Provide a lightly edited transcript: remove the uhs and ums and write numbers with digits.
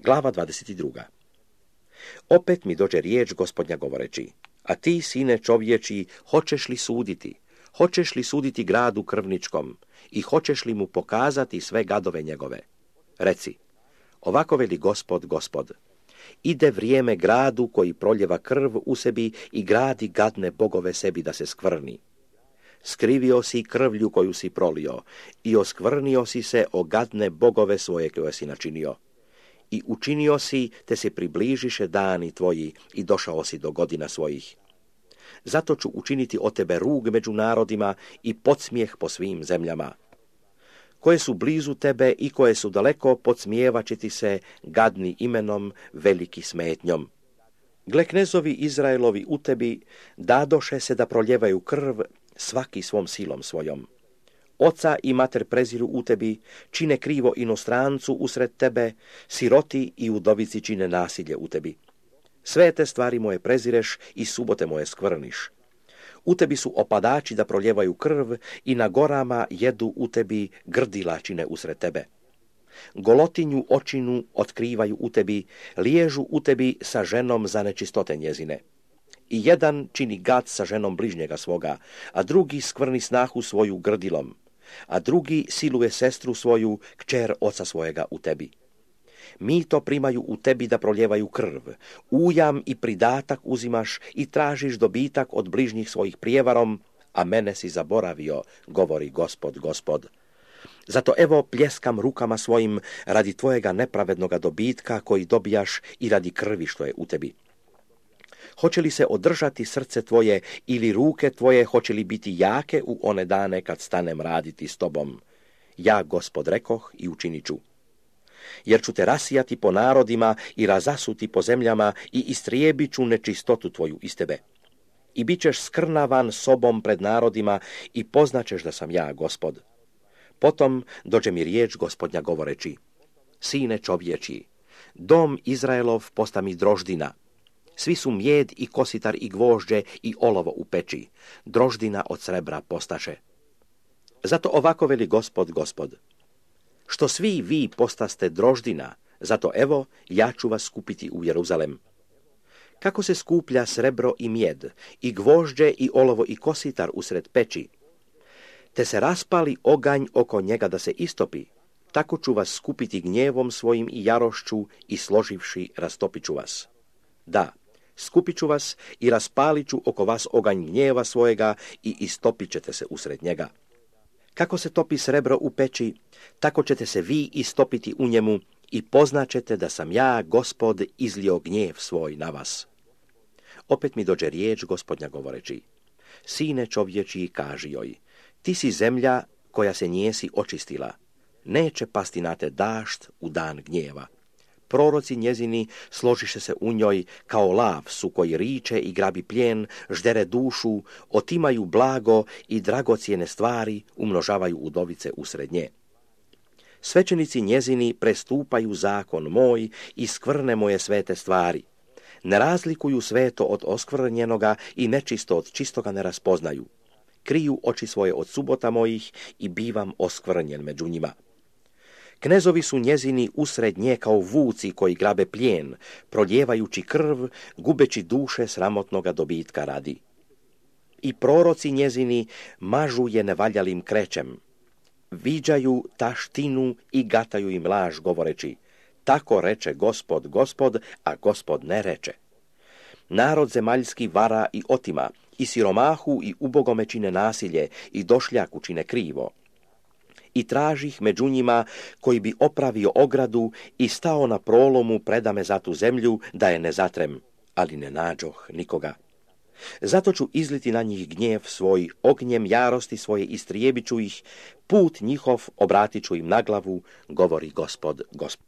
Glava 22. Opet mi dođe riječ Gospodnja govoreći: a ti, sine čovječi, hoćeš li suditi? Hoćeš li suditi gradu krvničkom i hoćeš li mu pokazati sve gadove njegove? Reci: ovako veli Gospod, Gospod: ide vrijeme gradu koji proljeva krv u sebi i gradi gadne bogove sebi da se skvrni. Skrivio si krvlju koju si prolio i oskvrnio si se o gadne bogove svoje koje si načinio. I učinio si, te se približiše dani tvoji i došao si do godina svojih. Zato ću učiniti od tebe rug među narodima i podsmijeh po svim zemljama. Koje su blizu tebe i koje su daleko, podsmijevat će ti se gadni imenom, veliki smetnjom. Gle, knezovi Izraelovi u tebi dadoše se da proljevaju krv, svaki svom silom svojom. Oca i mater preziru u tebi, čine krivo inostrancu usred tebe, siroti i udovici čine nasilje u tebi. Sve te stvari moje prezireš i subote moje skvrniš. U tebi su opadači da proljevaju krv i na gorama jedu u tebi grdila čine usred tebe. Golotinju očinu otkrivaju u tebi, liježu u tebi sa ženom za nečistote njezine. I jedan čini gad sa ženom bližnjega svoga, a drugi skvrni snahu svoju grdilom, a drugi siluje sestru svoju, kćer oca svojega u tebi. Mito primaju u tebi da proljevaju krv, ujam i pridatak uzimaš i tražiš dobitak od bližnjih svojih prijevarom, a mene si zaboravio, govori Gospod, Gospod. Zato evo pljeskam rukama svojim radi tvojega nepravednoga dobitka koji dobijaš i radi krvi što je u tebi. Hoće li se održati srce tvoje ili ruke tvoje hoće li biti jake u one dane kad stanem raditi s tobom? Ja, Gospod, rekoh i učinit ću. Jer ću te rasijati po narodima i razasuti po zemljama i istrijebit ću nečistotu tvoju iz tebe. I bit ćeš skrnavan sobom pred narodima i poznaćeš da sam ja, Gospod. Potom dođe mi riječ Gospodnja govoreći: sine čovječi, dom Izraelov posta mi droždina. Svi su mjed i kositar i gvožđe i olovo u peći. Droždina od srebra postaše. Zato ovako veli Gospod, Gospod: što svi vi postaste droždina, zato evo ja ću vas skupiti u Jeruzalem. Kako se skuplja srebro i mjed, i gvožđe i olovo i kositar usred peći, te se raspali oganj oko njega da se istopi, tako ću vas skupiti gnjevom svojim i jarošću i složivši rastopit ću vas. Da, skupit ću vas i raspalit ću oko vas oganj gnjeva svojega i istopit ćete se usred njega. Kako se topi srebro u peći, tako ćete se vi istopiti u njemu i poznaćete da sam ja, Gospod, izlio gnjev svoj na vas. Opet mi dođe riječ Gospodnja govoreći: sine čovječi, kaži joj: ti si zemlja koja se njesi očistila. Neće pasti na te dašt u dan gnjeva. Proroci njezini složiše se u njoj kao lav su koji riče i grabi plijen, ždere dušu, otimaju blago i dragocjene stvari, umnožavaju udovice usred nje. Svećenici njezini prestupaju zakon moj i skvrne moje svete stvari. Ne razlikuju sveto od oskvrnjenoga i nečisto od čistoga ne raspoznaju. Kriju oči svoje od subota mojih i bivam oskvrnjen među njima. Knezovi su njezini usred nje kao vuci koji grabe plijen, proljevajući krv, gubeći duše sramotnoga dobitka radi. I proroci njezini mažu je nevaljalim krećem. Viđaju taštinu i gataju im laž govoreći: tako reče Gospod, Gospod, a Gospod ne reče. Narod zemaljski vara i otima, i siromahu i ubogome čine nasilje, i došljaku čine krivo. I tražih među njima koji bi opravio ogradu i stao na prolomu predame za tu zemlju da je ne zatrem, ali ne nađoh nikoga. Zato ću izliti na njih gnjev svoj, ognjem jarosti svoje istrijebit ću ih, put njihov obratit ću im na glavu, govori Gospod, Gospod.